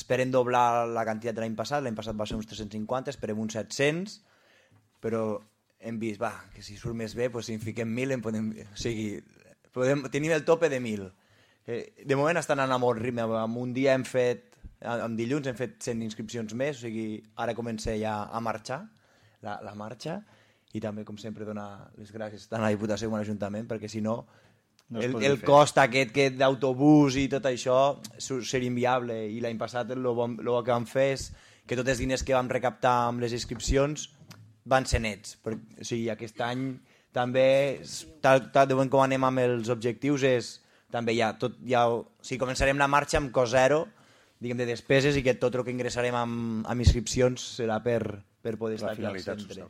esperen doblar la quantitat de l'any passat va ser uns 350, esperem uns 700, però hem vist, que si surt més bé, si en fiquem 1.000, tenim el tope de 1.000. De moment estan anant a molt ritme, en un dia en dilluns hem fet 100 inscripcions més, o sigui, ara comença ja a marxar, la marxa, i també, com sempre, donar les gràcies tant a la Diputació com a l'Ajuntament, perquè si no, el cost aquest d'autobús i tot això seria inviable, i l'any passat el que vam fer és que tots els diners que vam recaptar amb les inscripcions van ser nets. O sigui, aquest any també, tal de moment com anem amb els objectius, també començarem la marxa amb cost zero, diguem, de despeses, i que tot el que ingressarem amb inscripcions serà per poder estar aquí al centre.